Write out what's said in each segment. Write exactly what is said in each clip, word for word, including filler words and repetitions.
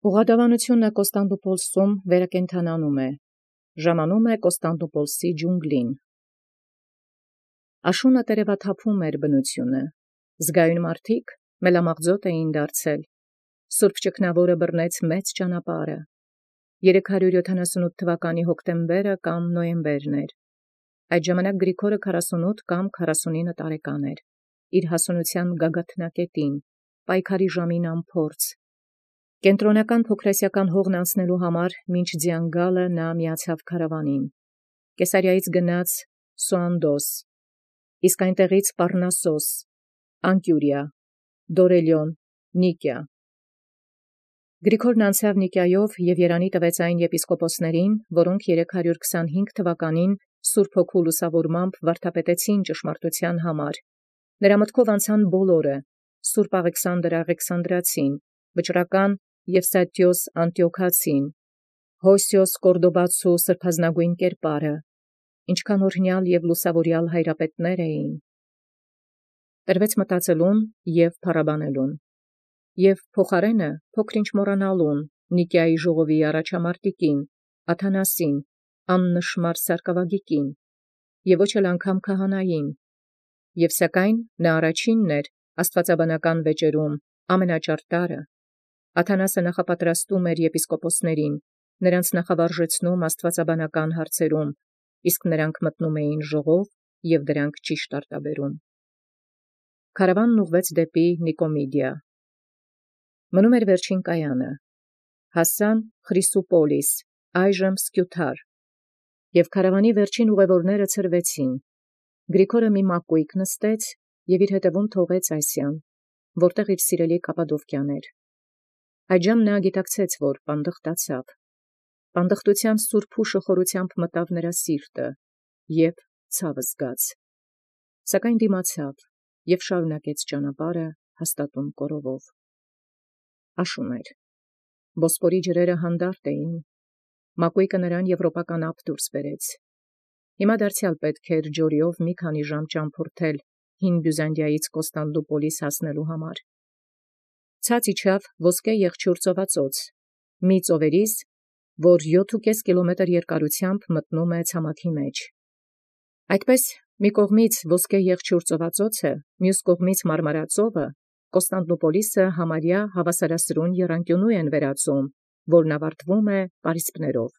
Ուղղադավանութիւնը Կոստանդնուպոլսում վերակենդանանում է, ժամանում է Կոստանդնուպոլսի ջունգլին։ Աշունը տերևաթափում էր բնութիւնը, զգայուն մարդիկ մելամաղձոտ էին դարձել, Սուրբ Ճգնաւորը բռնեց մեծ ճանապարհը, երեք հարյուր յոթանասունութ թվականի հոկտեմբերը կամ նոյեմբերն էր, այդ ժամանակ Գրիգորը քառասունութ կամ քառասունինը տարեկան էր, իր հասունութեան գագաթնակետին, պայքարի ժամին անփորձ, կենտրոնական փոքրասիական հողն անցնելու համար մինչ ձյան գալը նա միացավ քարավանին, Կեսարիայից գնաց Սուանդոս, իսկ այնտեղից Պառնասոս, Անկիւրիա, Դորելիոն, Նիկիա։ Գրիգորն անցավ Նիկիայով և երանի տվեց այն եպիսկոպոսներին, որոնք երեք հարյուր քսանհինգ թվականին Սուրբ Հոգու լուսաւորմամբ վարդապետեցին ճշմարտութեան համար, նրա մտքով անցան բոլորը, Սուրբ Աղեքսանդր Աղեքսանդրացին, վճռական Եվստաթիոս Անտիոքացին, Հոսիոս Կորդոբացու սրբազնագոյն կերպարը, ինչքան օրհնեալ և լուսաւորեալ հայրապետներ էին։ Տրվեց մտածելուն և փառաբանելուն, և փոխարենը փոքր-ինչ մոռանալուն Նիկիայի ժողովի առաջամարտիկին, Աթանասին, աննշմար սարկավագիկին, և ոչ էլ անգամ քահանային, և սակայն նա առաջինն էր աստուածաբանական վեճերում ամենաճարտարը, Աթանասը նախապատրաստում էր եպիսկոպոսներին, նրանց նախավարժեցնում աստուածաբանական հարցերում, իսկ նրանք մտնում էին ժողով և դրանք ճիշտ արտաբերում։ Քարավանն ուղղվեց դեպի Նիկոմիդիա։ Մնում էր վերջին կայանը, հասան Խրիսուպոլիս, այժմ Սկիութար, և քարավանի վերջին ուղևորները ցրվեցին։ Գրիգորը մի մակոյք նստեց և իր հետևում թողեց Ասիան, որտեղ իր սիրելի Կապադովկիան էր։ Այդժամ նա գիտակցեց, որ պանդխտացավ։ Պանդխտութեան սուրբ հուշը խորութեամբ մտավ նրա սիրտը, և ցաւ զգաց։ Սակայն դիմացավ և շարունակեց ճանապարհը հաստատուն կորովով։ Աշուն էր։ Բոսպորի ջրերը հանդարտ էին։ Մակոյկը նրան եվրոպական ափ դուրս բերեց։ Հիմա դարձեալ պետք էր ջորիով մի քանի ժամ ճամփորդել հին Բյուզանդիայից Կոստանդնուպոլիս հասնելու համար։ Ցած իջավ ոսկե եղջյուր ծովածոց, մի ծովերից, որ յոթ կիլոմետր երկարութեամբ մտնում է ցամաքի մեջ։ Այդպես մի կողմից ոսկե եղջյուր ծովածոցը, մյուս կողմից Մարմարածովը, Կոստանդնուպոլիսը համարյա հավասարասրուն եռանկիունու են վերածում, որն ավարտվում է պարիսպներով։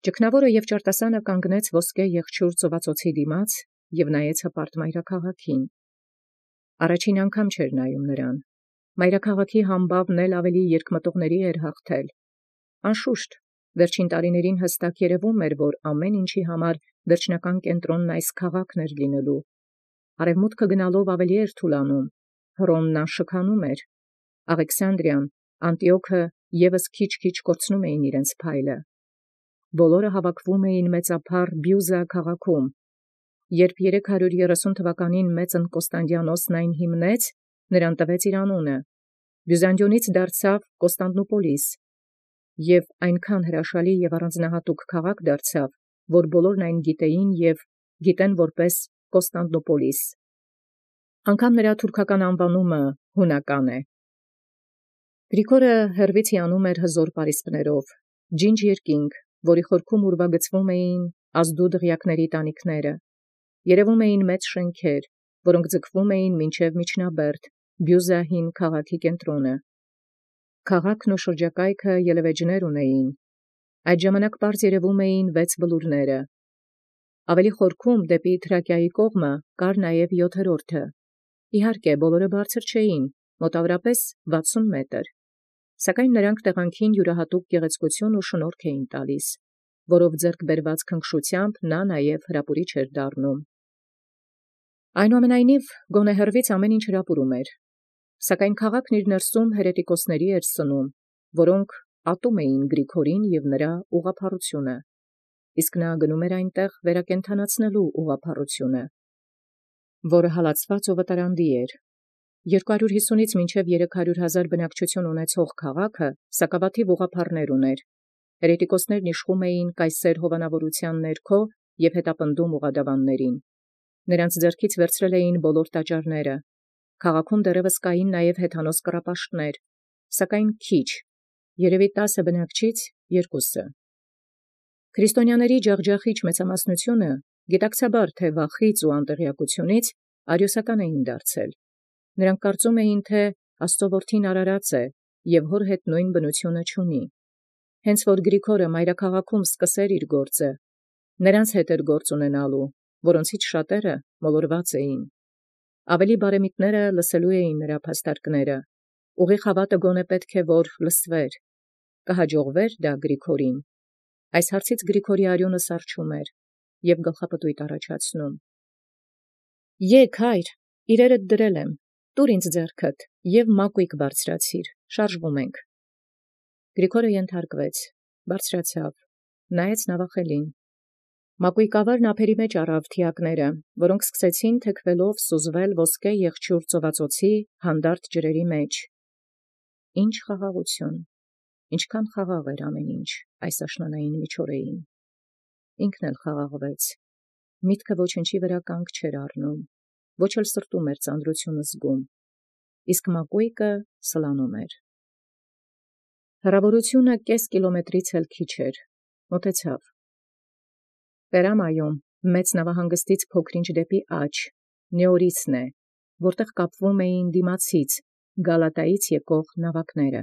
Ճգնաւորը և ճարտասանը կանգնեց ոսկե եղջյուր ծովածոցի դիմաց և նայեց հպարտ մայրաքաղաքին։ Առաջին անգամ չէր նայում նրան։ Մայրաքաղաքի համբավն էլ ավելի երկմտողների էր հաղթել։ Անշուշտ, վերջին տարիներին հստակ երևում էր, որ ամեն ինչի համար վերջնական կենտրոնն այս քաղաքն էր լինելու։ Արևմուտքը գնալով ավելի էր թուլանում, Հռոմն անշքանում էր, Աղեքսանդրիան, Անտիոքը ևս քիչ-քիչ կորցնում էին իրենց փայլը։ Բոլորը հավաքվում էին մեծափառ Բիւզա քաղաքում։ Երբ երեք հարյուր երեսուն թվականին մեծն Կոստանդիանոսն այն հիմնեց, նրան տվեց իր անունը, Բյուզանդիոնից դարձավ Կոստանդնուպոլիս, և այնքան հրաշալի և առանձնահատուկ քաղաք դարձավ, որ բոլորն այն գիտեին և գիտեն որպես Կոստանդնուպոլիս։ Անգամ նրա թուրքական անվանումը հունական է։ Գրիգորը հեռվից հիանում էր հզոր պարիսպներով, ջինջ երկինք, որի խորքում ուրվագծվում էին ազդու դղյակների տանիքները, երևում էին մեծ շենքեր, որոնք ձգվում էին մինչև Միջնաբերդ, Բիւզա հին քաղաքի կենտրոնը։ Քաղաքն ու շրջակայքը ելևէջներ ունեին։ Այդ ժամանակ պարզ երևում էին վեց բլուրները։ Ավելի խորքում դեպի Թրակիայի կողմը կար նաև յոթերորդը։ Իհարկե, բոլորը բարձր չէին, մոտավորապես վաթսուն մետր, սակայն նրանք տեղանքին յուրահատուկ գեղեցկություն ու շնորհք էին տալիս, որով ձեռք բերված քնքշությամբ նա նաև հրապուրիչ էր դառնում։ Այնուամենայնիվ, գոնե հեռվից ամեն ինչ հրապուրում էր, սակայն քաղաքն իր ներսում հերետիկոսների էր սնում, որոնք ատում էին Գրիգորին և նրա ուղղափառությունը, իսկ նա գնում էր այնտեղ վերակենդանացնելու ուղղափառությունը, որը հալածված ու վտարանդի էր։ Երկու հարյուր հիսունից մինչև երեք հարյուր հազար բնակչություն ունեցող քաղաքը սակավաթիվ ուղղափառներ ուներ։ Հերետիկոսներն իշխում էին կայսեր հովանավորութեան ներքո և հետապնդում ուղղադավաններին։ Նրանց ձեռքից վերցրել էին բոլոր տաճարները։ Քաղաքում դեռևս կային նաև հեթանոս կռապաշտներ, սակայն քիչ, երևի տասը բնակչից երկուսը։ Քրիստոնյաների ջախջախիչ մեծամասնությունը գիտակցաբար թե վախից ու անտեղյակությունից արիոսական էին դարձել։ Նրանք կարծում էին, թե Աստծո որդին արարած է և հոր հետ նույն բնությունը չունի։ Հենց որ Գրիգորը մայրաքաղաքում սկսեր իր գործը, նրանց հետ էր գործ ունենալու, որոնցից շատերը մոլորված էին։ Ավելի բարեմիտները լսելու էին նրա փաստարկները, ուղիղ հավատը գոնե պետք է որ լսվեր, կհաջողվեր դա Գրիգորին։ Այս հարցից Գրիգորի արյունը սառչում էր և գլխապտույտ առաջացնում։ Եկ հայր, իրերդ դրել եմ, տուր ինձ ձեռքդ և մակույկ բարձրացիր, շարժվում ենք։ Գրիգորը ենթարկվեց, բարձրացավ, նայեց նավախելին։ Մակույկավարն ափերի մեջ առավ թիակները, որոնք սկսեցին թեքվելով սուզվել ոսկե եղջյուր ծովածոցի հանդարտ ջրերի մեջ։ Ինչ խաղաղություն, ինչքան խաղաղ էր ամեն ինչ այս աշնանային միջօրեին։ Ինքն էլ խաղաղվեց, միտքը ոչնչի վրա կանգ չէր առնում, ոչ էլ սրտում էր ծանրությունը զգում, իսկ մակույկը սլանում էր։ Հեռավորությունը կես կիլոմետրից էլ քիչ էր, մոտեցավ։ Պերամայում մեծ նավահանգստից փոքրինչ դեպի աջ, Նեորիսն է, որտեղ կապվում էին դիմացից Գալատայից եկող նավակները։